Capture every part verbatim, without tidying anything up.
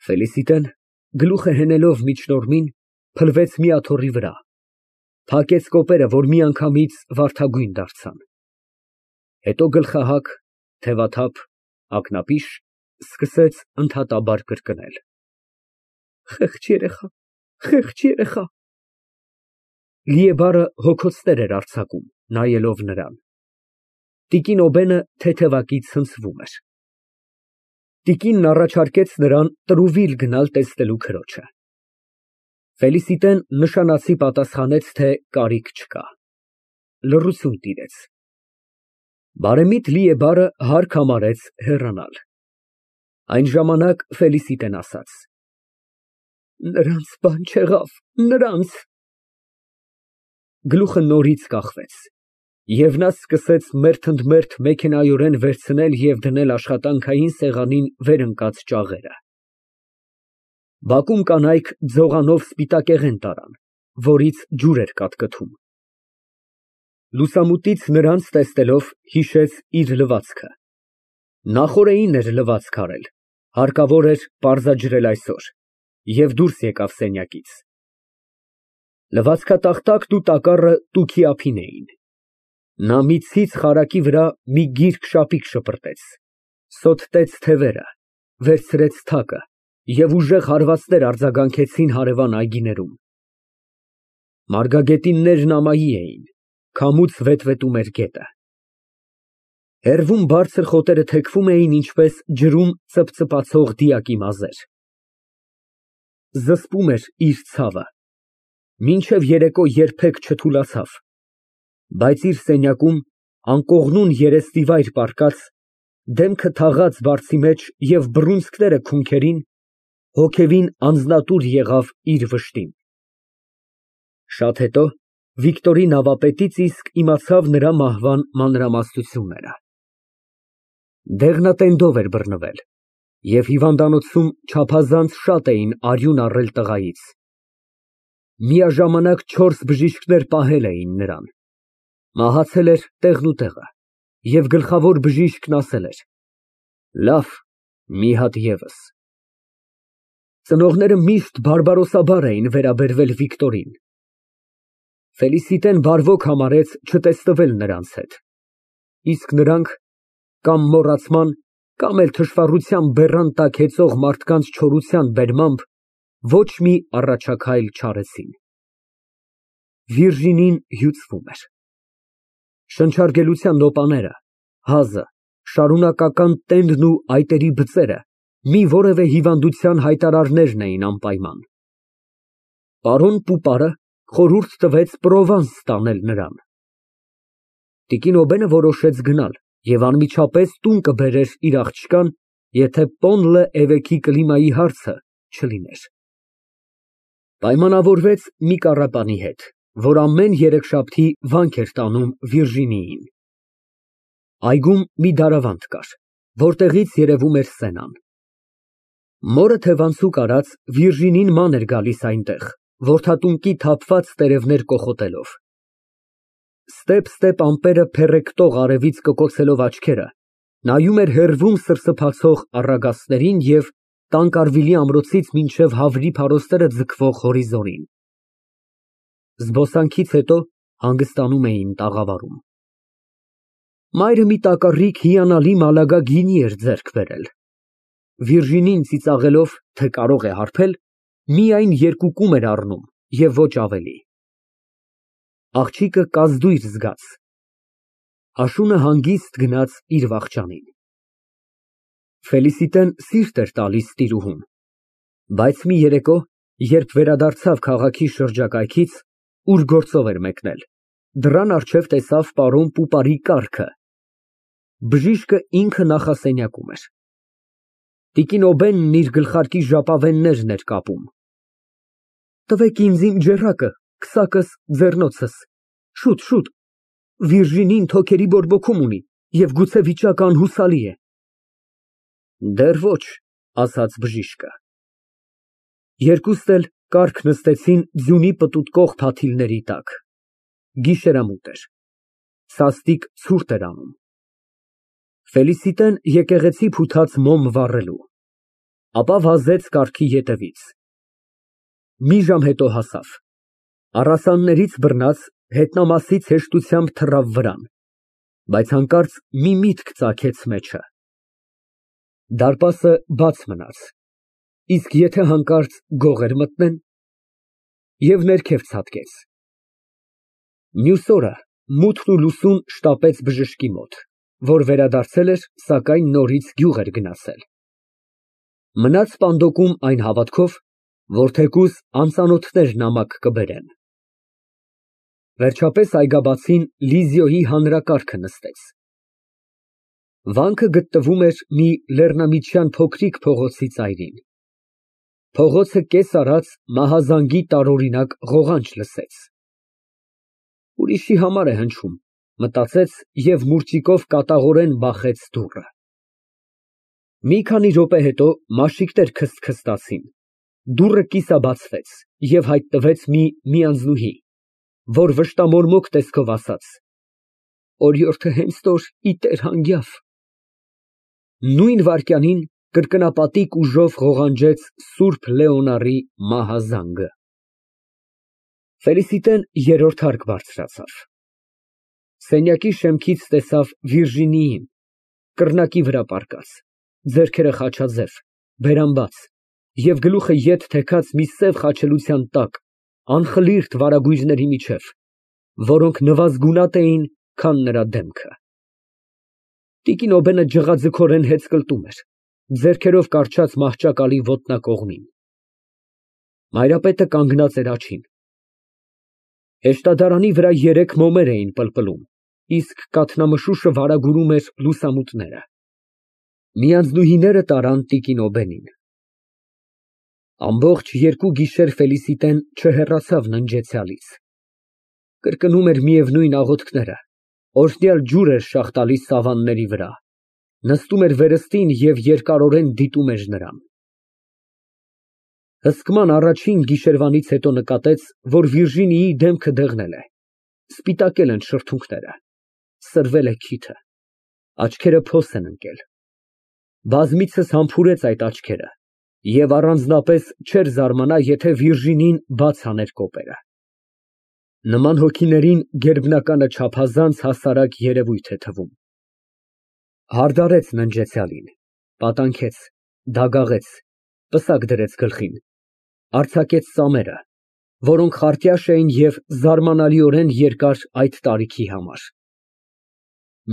Ֆելիսիտեն, գլուխը հենելով միջնորմին, փլվեց մի աթոռի վրա, փակեց կոպերը, որ միանգամից վարդագույն դարձան, հետո գլխահակ, թևաթափ, ակնապիշ, սկսեց ընդհատաբար կրկնել. Խեղճ երեխա, խեղճ երեխա… Լիեբարը հոգոցներ էր արձակում, նայելով նրան։ Տիկին Օբենը թեթևակից ցնցվում էր։ Տիկինն առաջարկեց նրան տրուվիլ գնալ տեսնելու քրոջը։ Ֆելիսիտեն նշանացի պատասխանեց, թե կարիք չկա։ Լռություն տիրեց։ Բարեմիտ Լիեբարը հարկ համարեց հեռանալ։ Այն ժամանակ Ֆելիսիտեն ասաց. Նրանց բան չեղավ, նրանց… Գլուխը նորից կախվեց, և նա սկսեց մերթընդմերթ մեքենայորեն վերցնել և դնել աշխատանքային սեղանին վեր ընկած ճաղերը։ Բակում կանայք ձողանով սպիտակեղեն տարան, որից ջուր էր կատկթում։ Լուսամուտից նրանց տեսնելով, հիշեց իր լվացքը։ Նախօրեին էր լվացք արել, հարկավոր էր պարզաջրել այսօր, և դուրս եկավ սենյակից։ Լվացքատախտակն ու տակառը տուքի ափին էին։ Նա մի ցից խարակի վրա մի գիրք շապիկ շպրտեց, սոթտեց թևերը, վերցրեց թակը և ուժեղ հարվածներ արձագանքեցին հարևան այգիներում։ Մարգագետիններն ամայի էին, քամուց վետվետում էր գետը։ Հեռվում բարձր խոտերը թեքվում էին, ինչպես ջրում ծպծպացող դիակի մազեր։ Զսպում էր իր ցավը, մինչև երեկո երբեք չթուլացավ, բայց իր սենյակում, անկողնուն երեսնիվայր պառկած, դեմքը թաղած բարձի մեջ և բռունցքները քունքերին, հոգևին անձնատուր եղավ իր վշտին։ Շատ հետո Վիկտորի նավապետից իսկ իմացավ նրա մահվան մանրամասնությունները։ Դեղնատենդով էր բռնվել, և հիվանդանոցում չափազանց շատ էին արյուն առել տղայից։ Միաժամանակ չորս բժիշկներ պահել էին նրան։ Մահացել էր տեղնուտեղը, և գլխավոր բժիշկն ասել էր. «Լավ, մի հատ ևս»։ Ծնողները միշտ բարբարոսաբար էին վերաբերվել Վիկտորին։ Ֆելիսիտեն բարվոք համարեց չտեսնվել նրանց հետ, իսկ նրանք կամ մոռացման, կամ էլ թշվառության բեռան տակ հեծող մարդկանց չորության բերմամբ ոչ մի առաջաքայլ չարեցին։ Վիրջինին հյուծվում էր։ Շնչարգելության նոպաները, հազը, շարունակական տենդն ու այտերի բծերը մի որևէ հիվանդության հայտարարներն էին անպայման։ Պարոն Պուպարը խորհուրդ տվեց Պրովանս տանել նրան։ Տիկին Օբենը որոշեց գնալ և անմիջապես տուն կբերեր իր աղջկան, եթե Պոն լը էվեքի կլիմայի հարցը չլիներ։ Պայմանավորվեց մի կառապանի հետ, որ ամեն երեքշաբթի վանք էր տանում Վիրջինիին։ Այգում մի դարավանդ կար, որտեղից երևում էր Սենան։ Մորը թևանցուկ արած Վիրջինին ման էր գալիս այնտեղ, որդատունկի թափված տերևներ կոխոտելով։ Ստեպ֊ստեպ ամպերը փեռեկտող արևից կկոցելով աչքերը, նայում էր հեռվում սրսփացող առագաստներին և Տանկարվիլի ամրոցից մինչև Հավրի փարոստերը ձգվող հորիզոնին։ Զբոսանքից հետո հանգստանում էին տաղավարում։ Մայրը մի տակառիկ հիանալի մալագա գինի էր ձեռք բերել։ Վիրջինին ծիծաղելով, թե կարող է հարբել, միայն երկու կում էր առնում և ոչ ավելի։ Աղջիկը կազդույր զգաց։ Աշունը հանգիստ գնաց իր վախճանին։ Ֆելիսիտեն սիրտ էր տալիս տիրուհուն, բայց մի երեկո, երբ վերադարձավ քաղաքի շրջակայքից, ուր գործով էր մեկնել, դռան առջև տեսավ պարոն Պուպարի կառքը։ Բժիշկը ինքը նախասենյակում էր։ Տիկին Օբենն իր գլխարկի ժապավեններն էր կապում։ Տվեք ինձ իմ ջեռակը, քսակս, ձեռնոցս, շուտ, շուտ, Վիրջինին թոքերի բորբոքում ունի և գուցե վիճակը անհուսալի է։ Դեռ ոչ, ասաց բժիշկը։ Երկուստ էլ կառք նստեցին ձյունի պտուտկող փաթիլների տակ։ Գիշերամութ էր։ Սաստիկ ցուրտ էր անում։ Ֆելիսիտեն եկեղեցի փութաց մոմ վառելու։ Ապա վազեց կառքի ետևից։ Մի ժամ հետո հասավ։ Առասաններից բռնած, հետնամասից հեշտությամբ թռավ վրան, բայց հանկարծ մի միտք ծագեց մեջը. դարպասը բաց մնաց, իսկ եթե հանկարծ գողեր մտնեն, և ներքև ցատկեց։ Մյուս օրը մութն ու լուսուն շտապեց բժշկի մոտ, որ վերադարձել էր, սակայն նորից գյուղ էր գնացել։ Մնաց սպանդոկում այն հավատքով, որ թեկուզ անծանոթներ նամակ կբերեն։ Վերջապես այգաբացին Լիզիոյի հանրակարգը նստեց։ Վանքը գտնվում էր մի լեռնամիջյան փոքրիկ փողոցի ծայրին։ Փողոցը կես արած մահազանգի տարօրինակ ղողանջ լսեց։ Ուրիշի համար է հնչում, մտածեց և մուրճիկով կատաղորեն բախեց դուռը։ Մի քանի րոպե հետո մաշիկներ քսթքստացին, դուռը կիսաբացվեց և հայտնվեց մի միանձնուհի, որ վշտամորմոք տեսքով ասաց. «Օրիորդը հենց որ ի տեր հանգյավ»։ Նույն վայրկյանին կրկնապատիկ ուժով ղողանջեց սուրբ Լեոնարի մահազանգը։ Ֆելիսիտեն երրորդ հարկ բարձրացավ։ Սենյակի շեմքից տեսավ Վիրժինիին, կռնակի վրա պառկած, ձեռքերը խաչաձև, բերան բաց և գլուխը ետ թեքած մի սև խաչելության տակ, անխլիրտ վարագույրների միջև, որոնք նվազգունատ էին, քան նրա դեմքը։ Տիկին Օբենը ջղաձգորեն հեծկլտում էր, ձեռքերով կառչած մահճակալի ոտնակողմին։ Մայրապետը կանգնած էր աջին։ Հեշտադարանի վրա երեք մոմեր էին պլպլում, իսկ կաթնամշուշը վարագուրում էր լուսամուտները։ Միանձնուհիները տարան տիկին Օբենին։ Ամբողջ երկու գիշեր Ֆելիսիտեն չհեռացավ ննջեցյալից։ Կրկնում էր միևնույն աղոթքները, օրհնյալ ջուր էր շաղ տալիս սավանների վրա, նստում էր վերստին և երկարորեն դիտում էր նրան։ Հսկման առաջին գիշերվանից հետո նկատեց, որ Վիրժինիի դեմքը դեղնել է, սպիտակել են շրթունքները, սրվել է քիթը, աչքերը փոս են ընկել։ Բազմիցս համբուրեց այդ աչքերը և առանձնապես չէր զարմանա, եթե Վիրժինին բաց աներ կոպերը։ Նման հոգիներին գերբնականը չափազանց հասարակ երևույթ է թվում։ Հարդարեց ննջեցյալին, պատանքեց, դագաղեց, պսակ դրեց գլխին, արձակեց ծամերը, որոնք խարտյաշ էին և զարմանալիորեն երկար այդ տարիքի համար։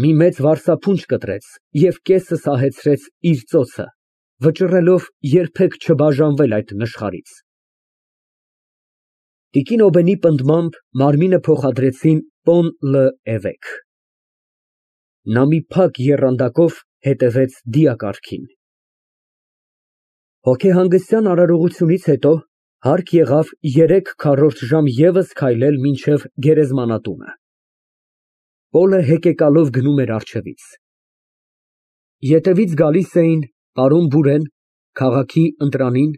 Մի մեծ վարսափունջ կտրեց և կեսը սահեցրեց իր ծոցը, վճռելով երբեք չբաժանվել այդ նշխարից։ Տիկին Օբենի պնդմամբ մարմինը փոխադրեցին Պոն Լը Էվեկ։ Նա մի փակ եռանդակով հետևեց դիակառքին։ Հոգեհանգստյան արարողությունից հետո հարկ եղավ երեք քառորդ ժամ ևս քայլել մինչև գերեզմանատունը։ Պոլը հեկեկալով գնում էր առջևից։ Ետևից գալիս էին պարոն Բուրեն, քաղաքի ընտրանին,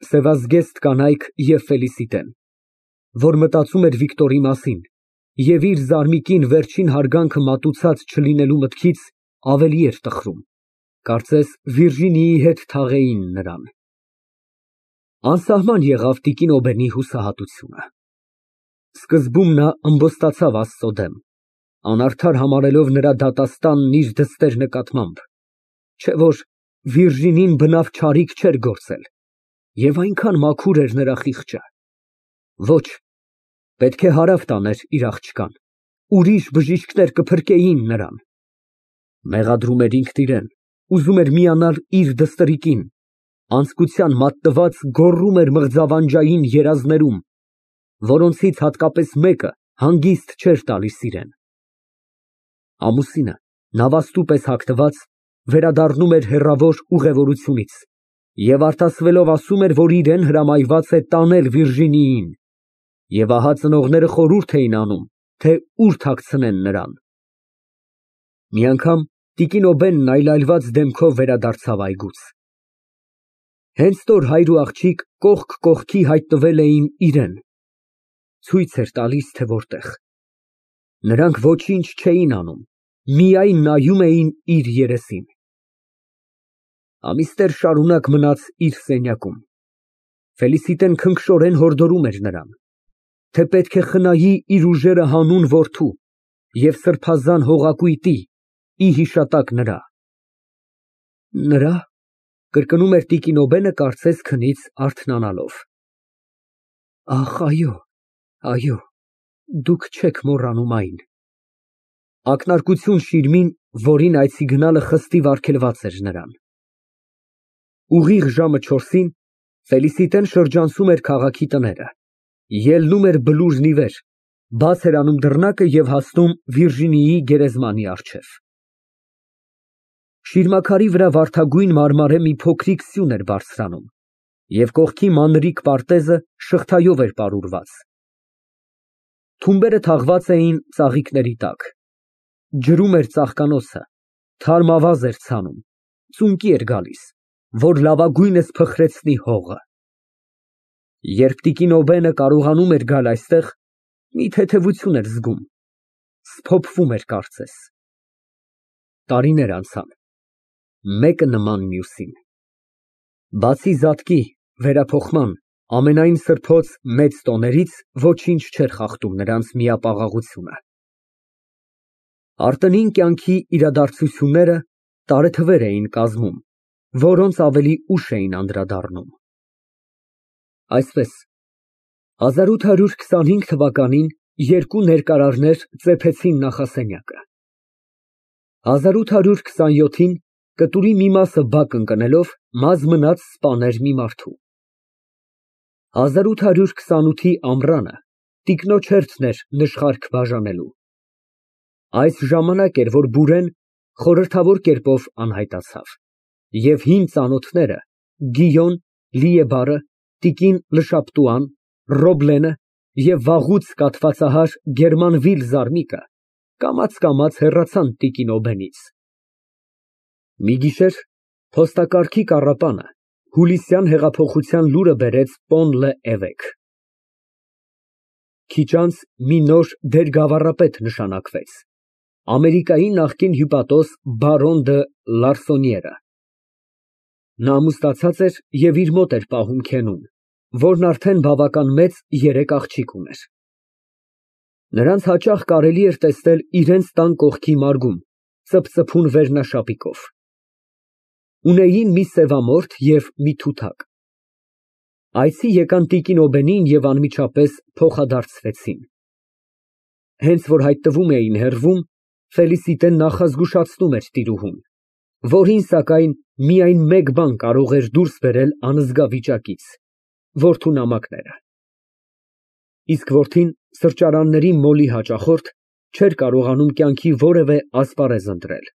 սևազգեստ կանայք և Ֆելիսիտեն, որ մտածում էր Վիկտորի մասին և իր զարմիկին վերջին հարգանքը մատուցած չլինելու մտքից ավելի էր տխրում, կարծես Վիրժինիի հետ թաղեին նրան։ Անսահման եղավ տիկին Օբենի հուսահատությունը։ Սկզբում նա ըմբոստացավ Աստծո դեմ, անարդար համարելով նրա դատաստանն իր դստեր նկատմամբ, չէ որ Վիրժինին բնավ չարիք չէր գործել, և այնքան մաքուր էր նրա խիղճը։ Ոչ, պետք է հարավ տաներ իր աղջկան, ուրիշ բժիշկներ կփրկեին նրան։ Մեղադրում էր ինքն իրան, ուզում էր միանալ իր դստրիկին, անձկության մատնված գոռում էր մղձավանջային երազներում, որոնցից հատկապես մեկը հանգիստ չէր տալիս իրան։ Ամուսինը, նավաստու պես հագնված, վերադառնում էր հեռավոր ուղևորությունից և արտասվելով ասում էր, որ իրան հրամայված է տանել Վիրժինիին, և ահա ծնողները խորհուրդ էին անում, թե ուր թաքցնեն նրան։ Մի անգամ տիկին Օբենն այլայլված դեմքով վերադարձավ այգուց։ Հենց նոր հայր ու աղջիկ կողք կողքի հայտնվել էին իրան, ցույց էր տալիս, թե որտեղ։ Նրանք ոչինչ չէին անում, միայն նայում էին իր երեսին։ Ամիսներ շարունակ մնաց իր սենյակում։ Ֆելիսիտեն քնքշորեն հորդորում էր նրան, թե պետք է խնայի իր ուժերը հանուն որդու և սրբազան հողակույտի ի հիշատակ նրա։ Նրա, կրկնում էր տիկին Օբենը, կարծես քնից արթնանալով։ Ախ, այո, այո, դուք չեք մոռանում այն։ Ակնարկություն շիրմին, որին այցի գնալը խստիվ արգելված էր նրան։ Ուղիղ ժամը չորսին Ֆելիսիտեն շրջանցում էր քաղաքի տները, ելնում էր բլուրն ի վեր, բաց էր անում դռնակը և հասնում Վիրջինիայի գերեզմանի առջև։ Շիրմաքարի վրա վարդագույն մարմարե մի փոքրիկ սյուն էր բարձրանում և կողքի մանրիկ պարտեզը շղթայով էր պարուրված։ Թումբերը թաղված էին ծաղիկների տակ։ Ջրում էր ծաղկանոցը, թարմ ավազ էր ցանում, ծունկի էր գալիս, որ լավագույնս փխրեցնի հողը։ Երբ տիկին Օբենը կարողանում էր գալ այստեղ, մի թեթևություն էր զգում, սփոփվում էր կարծես։ Տարիներ անցան, մեկը նման մյուսին։ Բացի զատկի, վերափոխման, ամենայն սրբոց մեծ տոներից ոչինչ չէր խախտում նրանց միապաղաղությունը։ Արտընին կյանքի իրադարձությունները տարեթվեր էին կազմում, որոնց ավելի ուշ էին անդրադառնում։ Այսպես, հազար ութ հարյուր քսանհինգ թվականին երկու ներկարարներ ծեփեցին նախասենյակը։ հազար ութ հարյուր քսանյոթին կտուրի մի մասը բաք ընկնելով մազ մնաց սպաներ մի մարդու։ հազար ութ հարյուր քսանութի ամռանը տիկնոջ հերթն էր նշխարք բաժանելու։ Այս ժամանակ էր, որ Բուրեն խորհրդավոր կերպով անհայտացավ, և հին ծանոթները՝ Գիյոն, Լիեբարը, տիկին Լշապտուան, Ռոբլենը և վաղուց կաթվածահար Գերմանվիլ Զարմիկը կամաց֊կամաց հեռացան տիկին Օբենից։ Մի գիշեր փոստակարքի կառապանը հուլիսյան հեղափոխության լուրը բերեց Պոն լը Էվեք։ Քիչ անց մի նոր դեր֊գավառապետ նշանակվեց, Ամերիկայի նախկին հյուպատոս բարոն դը Լարսոնիերը։ Նա ամուսնացած էր և իր մոտ էր պահում Քենուն, որն արդեն բավական մեծ երեք աղջիկ ուներ։ Նրանց հաճախ կարելի էր տեսնել իրենց տան կողքի մարգում, ծփծփուն վերնաշապիկով։ Ունեին մի սևամորթ և մի թութակ։ Այցի եկան տիկին Օբենին և անմիջապես փոխադարձվեցին։ Հենց որ հայտնվում էին հեռվում, Ֆելիսիտեն նախազգուշացնում էր տիրուհուն, որին, սակայն, միայն մեկ բան կարող էր դուրս բերել անզգա վիճակից՝ որդու նամակները։ Իսկ որդին, սրճարանների մոլի հաճախորդ, չէր կարողանում կյանքի որևէ ասպարեզ ընտրել։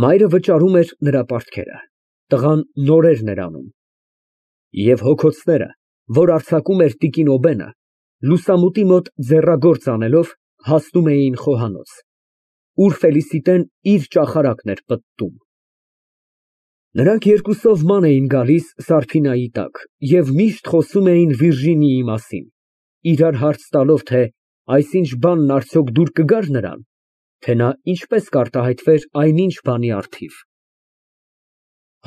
Մայրը վճարում էր նրա պարտքերը, տղան նորերն էր անում։ Եվ հոգոցները, որ արձակում էր տիկին Օբենը, լուսամուտի մոտ ձեռագործ անելով, հասնում էին խոհանոց, ուր Ֆելիսիտեն իր ճախարակն էր պտտում։ Նրանք երկուսով ման էին գալիս Սարփինայի տակ և միշտ խոսում էին Վիրջինիայի մասին, իրար հարց տալով, թե այսինչ բանն արդյոք դուր կգար նրան, թե նա ինչպես կարտահայտվեր այնինչ բանի առթիվ։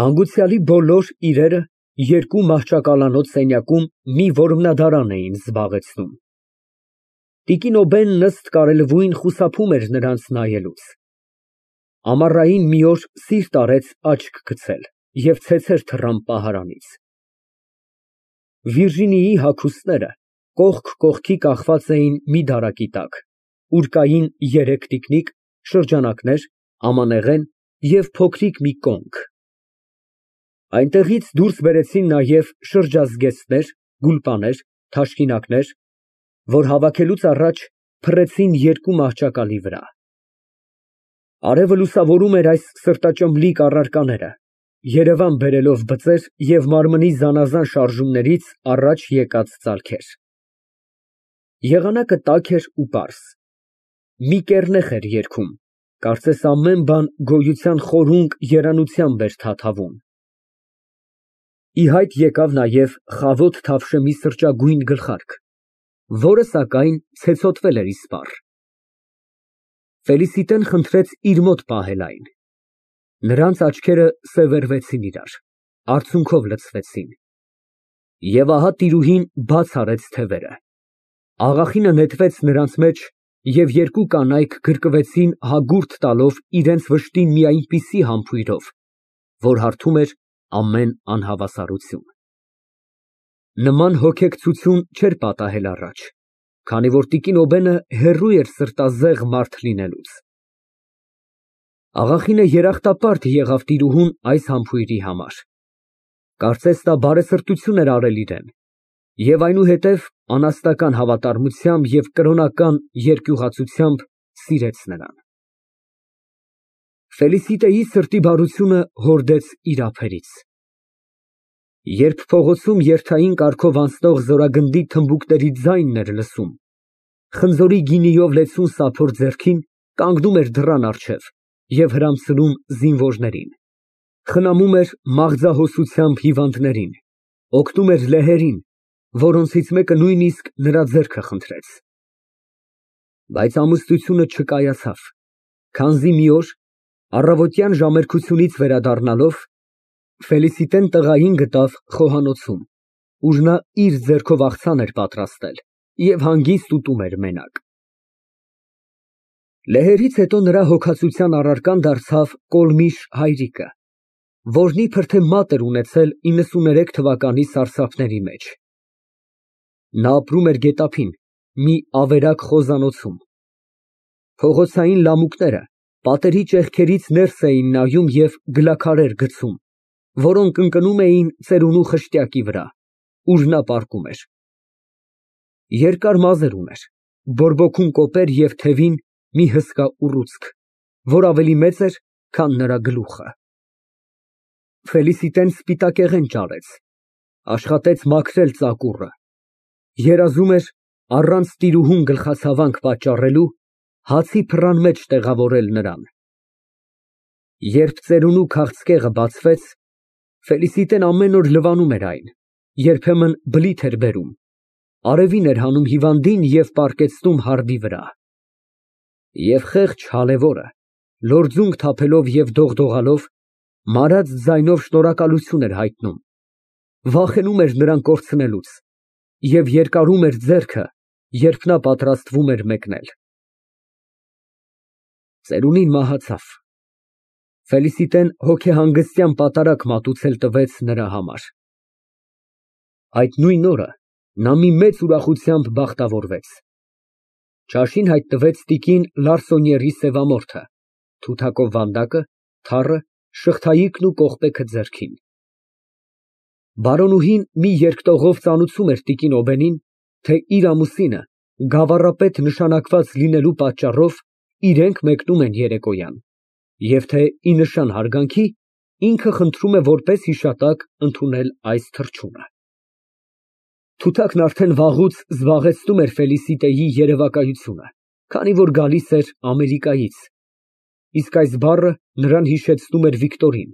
Հանգուցյալի բոլոր իրերը երկու մահճակալանոց սենյակում մի որմնադարան էին զբաղեցնում։ Տիկին Օբենն ըստ կարելույն խուսափում էր նրանց նայելուց։ Ամառային մի օր սիրտ արեց աչք գցել և ցեցեր թռան պահարանից։ Վիրջինիայի հագուստները կողք կողքի կախված էին մի դարակի տակ, ուր կային երեք տիկնիկ, շրջանակներ, ամանեղեն և փոքրիկ մի կոնք։ Այնտեղից դուրս բերեցին նաև շրջազգեստներ, գուլպաներ, թաշկինակներ, որ հավաքելուց առաջ փռեցին երկու մահճակալի վրա։ Արևը լուսավորում էր այս սրտաճմլիկ առարկաները, երևան բերելով բծեր և մարմնի զանազան շարժումներից առաջ եկած ծալքեր։ Եղանակը տաք էր ու պարզ։ Մի կեռնեխ էր երգում, կարծես ամեն բան գոյության խորունկ երանությամբ էր թաթավում։ Ի հայտ եկավ նաև խավոտ թավշեմի սրճագույն գլխարկ, որը, սակայն, ցեցոտվել էր իսպառ։ Ֆելիսիտեն խնդրեց իր մոտ պահել այն։ Նրանց աչքերը սևեռվեցին իրար, արցունքով լցվեցին։ Եվ ահա տիրուհին բաց արեց թևերը։ Աղախինը նետվեց նրանց մեջ, և երկու կանայք գրկվեցին հագուրդ տալով իրենց վշտին մի այնպիսի համբույրով, որ հարբում էր ամեն անհավասարություն։ Նման հոգեկցություն չէր պատահել առաջ, քանի որ տիկին Օբենը հեռու էր սրտազեղ մարդ լինելուց։ Աղախինը երախտապարտ եղավ տիրուհուն այս համբույրի համար։ Կարծես նա բարեսրտություն էր արել իրան և այնուհետև անաստական հավատարմությամբ և կրոնական երկյուղածությամբ սիրեց նրան։ Ֆելիսիտեի սրտի բարությունը հորդեց իր ափերից։ Երբ փողոցում երթային կառքով անցնող զորագնդի թմբուկների ձայնն էր լսում, խնձորի գինիով լեցուն սափոր ձեռքին կանգնում էր դռան առջև և հրամցնում զինվորներին, խնամում էր մաղձահոսությամբ հիվանդներին, օգնում էր լեհերին, որոնցից մեկը նույնիսկ նրա ձեռքը խնդրեց։ Բայց ամուսնությունը չկայացավ, քանզի մի օր, առավոտյան ժամերկությունից վերադառնալով, Ֆելիսիտեն տղային գտավ խոհանոցում, ուր նա իր ձեռքով աղցան էր պատրաստել և հանգիստ ուտում էր մենակ։ Լեհերից հետո նրա հոգածության առարկան դարձավ կոլմիշ հայրիկը, որն իբր թե մատ էր ունեցել իննսուներեք թվականի սարսափների մեջ։ Նա ապրում էր գետափին, մի ավերակ խոզանոցում։ Փողոցային լամուկները պատերի ճեղքերից ներս էին նայում և գլաքարեր գցում, որոնք ընկնում էին ծերունու խշտյակի վրա, ուր նա պառկում էր։ Երկար մազեր ուներ, բորբոքում կոպեր և թևին մի հսկա ուռուցք, որ ավելի մեծ էր, քան նրա գլուխը։ Ֆելիսիտեն սպիտակեղեն ճարեց, աշխատեց մաքրել ծակուռը, երազում էր առանց տիրուհուն գլխացավանք պատճառելու հացի փռան մեջ տեղավորել նրան։ Երբ ծերունու քաղցկեղը բացվեց, Ֆելիսիտեն ամեն օր լվանում էր այն, երբեմն բլիթ էր բերում, արևին էր հանում հիվանդին և պառկեցնում հարբի վրա։ Եվ խեղճ հալևորը, լորձունք թափելով և դողդողալով, մարած ձայնով շնորհակալություն էր հայտնում, վախենում էր նրան կորցնելուց և երկարում էր ձեռքը, երբ նա պատրաստվում էր մեկնել։ Ծերունին մահացավ։ Ֆելիսիտեն հոգեհանգստյան պատարագ մատուցել տվեց նրա համար։ Այդ նույն օրը նա մի մեծ ուրախությամբ բախտավորվեց։ Ճաշին հայտնվեց տիկին Լարսոնիերի սևամորթը, թութակով վանդակը, թառը, շղթայիկն ու կողպեքը ձեռքին։ Բարոնուհին մի երկտողով ծանուցում էր տիկին Օբենին, թե իր ամուսինը գավառապետ նշանակված լինելու պատճառով իրենք մեկնում են երեկոյան, և թե ի նշան հարգանքի ինքը խնդրում է որպես հիշատակ ընդունել այս թռչունը։ Թութակն արդեն վաղուց զբաղեցնում էր Ֆելիսիտեի երևակայությունը, քանի որ գալիս էր Ամերիկայից, իսկ այս բառը նրան հիշեցնում էր Վիկտորին,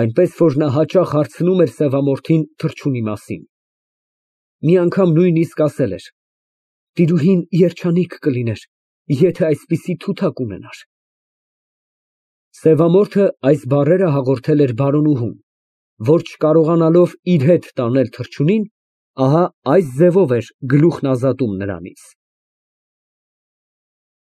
այնպես որ նա հաճախ հարցնում էր սևամորթին թռչունի մասին։ Մի անգամ նույնիսկ ասել էր. «Տիրուհին երջանիկ կլիներ, եթե այսպիսի թութակ ունենար»։ Սևամորթը այս բառերը հաղորդել էր բարոնուհուն, որ չկարողանալով իր հետ տանել թռչունին, ահա այս ձևով էր գլուխն ազատում նրանից։